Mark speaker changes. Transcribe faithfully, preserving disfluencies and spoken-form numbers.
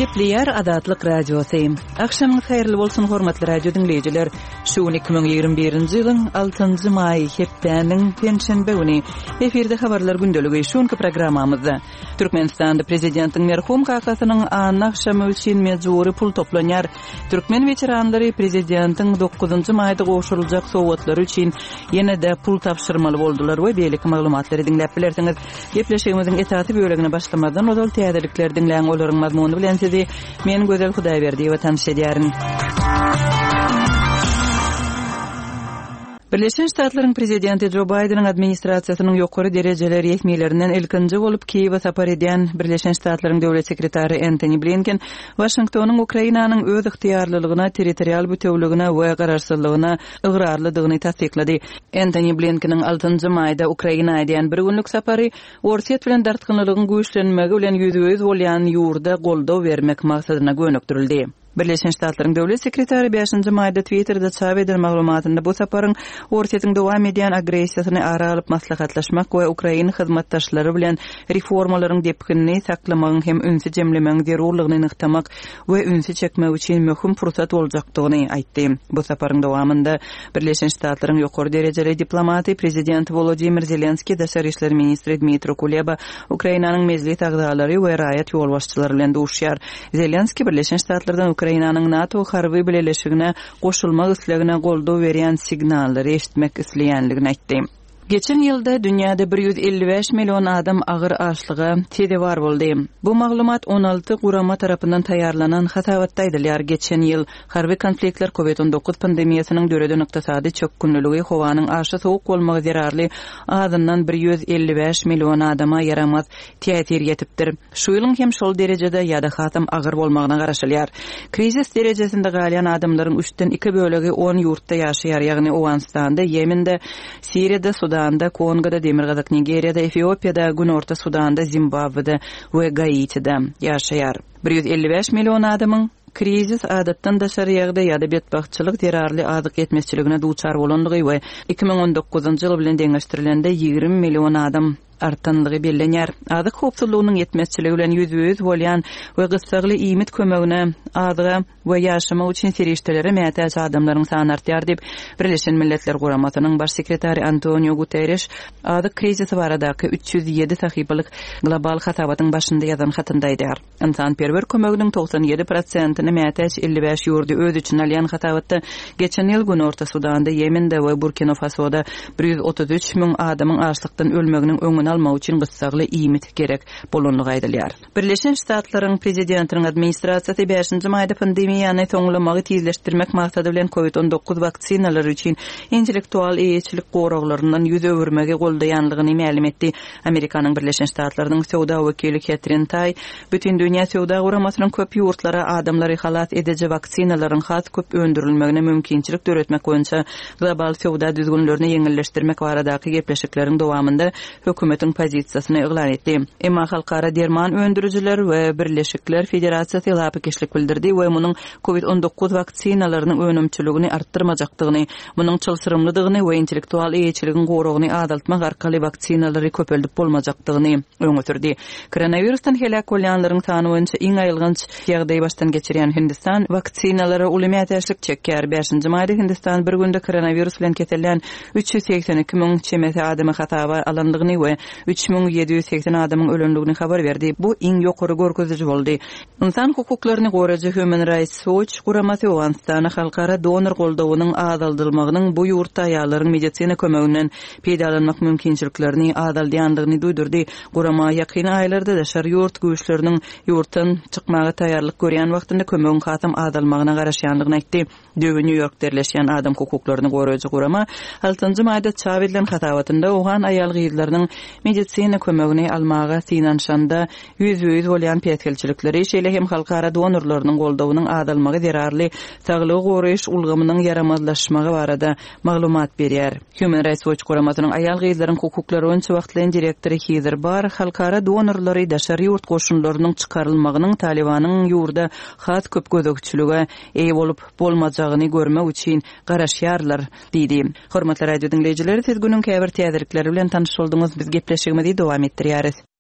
Speaker 1: Gepleýär Azatlyk Radiosy. Agşamyňyz haýyrly bolsun hormatly radio diňleýjiler. Şu gün iki müň ýigrimi birinji ýylyň altynjy maýy hepdäniň penşenbe güni. Efirde habarlar gündeligi şu günki programmamyzda. Türkmenistanda prezidentiň merhum kakasynyň anna agşamy üçin mejbury pul toplanýar. Türkmen weteranlary prezidentiň dokuzynjy maýda gowşuryljak sowgatlary üçin ýene-de pul tabşyrmaly boldular we beýleki maglumatlary diňläp bilersiňiz. Gepleşigimiziň esasy bölegine başlamazdan ozal täzelikleri diňläň, olaryň mazmuny bilen sizi men Gözel Hudaýberdiýewa tanyş edýärin. Birleşen Ştatlaryň prezidenti Jo Baýdeniň administrasiýasynyň ýokary derejeli resmilerinden ilkinji bolup Kiýewe sapar edýän Birleşen Ştatlaryň döwlet sekretary Entoni Blinken Waşingtonyň Ukrainanyň öz ygtyýarlylygyna, territorial bütewligine we garaşsyzlygyna ygrarlydygyny tassyklady. Entoni Blinkeniň altynjy maýda Ukraina edýän bir günlük sapary Orsýet bilen dartgynlylygyň güýçlenmegi bilen ýüzbe-ýüz bolýan ýurda goldaw bermek maksadyna gönükdirildi. Birleşen Ştatlaryň döwlet sekretary bäşinji maýda Twitter'de çap eden maglumatynda bu saparyň Orsýetiň dowam edýän agressiýasyny ara alyp maslahatlaşmak we Ukraina hyzmatdaşlary bilen reformalaryň depginini saklamagyň hem ünsi jemlemegiň zerurlygyny nygtamak we ünsi çekmek üçin möhüm pursat boljakdygyny aýtdy. Bu saparyň dowamynda Birleşen Ştatlaryň ýokary derejeli diplomaty prezident Volodymyr Zelenski, daşary işler ministri Dmitro Kuleba, Ukrainanyň mejlis agzalary we raýat ýolbaşçylary bilen duşýar. Zelenski Birleşen Ştatlardan Ukrainanyň NATO harby bileleşigine goşulmak islegine goldaw berýän signallary eşitmek isleýänligini aýtdy. Geçen ýylda dünýäde bir ýüz elli bäş million adam agyr açlyga sezewar boldy. Bu maglumat on alty gurama tarapyndan taýýarlanan hasabatda aýdylýar. Geçen ýyl harby konfliktler, COVID on dokuz pandemiýasynyň döreden ykdysady çökgünliligi, howanyň aşa sowuk bolmagy zerarly azyndan bir ýüz elli bäş million adama ýaramaz täsir ýetipdir. Şu ýylyň hem şol derejede ýa-da hasam agyr bolmagyna garaşylýar. Krizis derejesinde galýan adamlaryň üçden iki bölegi on ýurtda ýaşaýar, ýagny Owganystanda, Ýemende, Siriýada, Sudanda, Kongoda, Demirgazyk Nigeriýada, Efiopiýada, Günorta Sudanda, Zimbabwede we Gaitide ýaşaýar. Bir ýüz elli bäş million adamyň krizis adatdan daşary ýagdaý ýa-da betbagtçylyk zerarly azyk ýetmezçiligine duçar bolandygy we iki müň on dokuzynjy ýyl bilen deňeşdirilende ýigrimi million adam artanlygy bellenýär. Azyk howpsuzlygynyň ýetmezçiligi bilen ýüzbe-ýüz bolýan we gyssagly iýmit kömegine, azyga we ýaşamak üçin serişdelere mätäç adamlaryň sany artýar diýip, Birleşen Milletler Guramasynyň baş sekretary Antonio Guterres azyk krizisi baradaky üç ýüz ýedi sahypalyk global hasabatyň başynda ýazan hatynda aýdýar. Ynsanperwer kömeginiň togsan ýedi prosentini mätäç elli bäş ýurdy öz içine alýan hasabatda geçen ýyl Günorta Sudanda, Ýemende we Burkina Fasoda bir ýüz otuz üç müň adamyň açlykdan ölmeginiň öňüni almak üçin gyssagly iýmit gerek bolanlygy aýdylýar. Birleşen Ştatlaryň prezidentiniň administrasiýasy bäşinji maýda pandemiýany soňlamagy tizleşdirmek maksady bilen COVID on dokuz waksinalary üçin intellektual eýeçilik goraglaryndan ýüz öwürmegi goldaýanlygyny mälim etdi. Amerikanyň Birleşen Ştatlarynyň söwda wekili Ketrin Taý bütün dünýä söwda guramasynyň köp ýurtlara adamlary halas ediji waksinalaryň has köp öndürilmegine mümkinçilik döretmek boýunça global söwda düzgünlerini ýeňilleşdirmek baradaky gepleşikleriň dowamynda hökümetiň pozisiýasyny yglan etdi. Emma halkara derman öndürijiler we Birleşikler Federasiýasy lapykeçlik bildirdi we munuň COVID on dokuz waksinalarynyň önümçiligini artdyrmajakdygyny, munuň çylşyrymlydygyny we intellektual eýeçiligiň goragyny azaltmak arkaly waksinalary köpeldip bolmajakdygyny öňe sürdi. Koronavirusdan heläk bolýanlaryň sany boýunça iň aýylganç ýagdaý başdan geçirýän Hindistan waksinalara uly mätäçlik çekýär. Bäşinji maýda Hindistan bir günde koronavirus bilen kesellän üç ýüz segsen iki müň çemesi adamy hasaba alandygyny we üç müň ýedi ýüz segsen adamyň ölendigini habar berdi. Bu iň ýokary görkeziji boldy. Insan hukuklaryny goraýjy Human Rights Watch guramasy Owganystana halkara donor goldawynyň azaldylmagynyň bu ýurtda aýallaryň medisina kömeginden peýdalanmak mümkinçiliklerini azaldýandygyny duýdurdy. Gurama ýakyn aýlarda daşary ýurt güýçleriniň ýurtdan çykmaga taýýarlyk görýän wagtynda kömegiň hasam azalmagyna garaşýandygyny aýtdy. Döwi New Yorkda ýerleşýän adam hukuklaryny goraýjy gurama altynjy maýda çap edilen hasabatynda Owgan aýal gyzlarynyň medisina kömegini almaga synanyşanda ýüzbe-ýüz bolýan päsgelçilikleri, şeýle hem halkara donorlarynyň goldawynyň azalmagy zerarly saglygy goraýyş ulgamynyň ýaramazlaşmagy barada maglumat berýär. Human Rights Watch guramasynyň aýal gyzlaryň hukuklary boýunça wagtlaýyn direktory Heather Barr halkara donorlary daşary ýurt goşunlarynyň çykarylmagynyň Talibanyň ýurda has köp gözegçilige eýe bolup bolmajagyny görmek üçin garaşýarlar diýdi. Hormatly radio diňleýjiler, siz günüň käbir täzelikleri bilen tanyş bolduňyz. Biz gepleşigimizi dowam etdirýäris.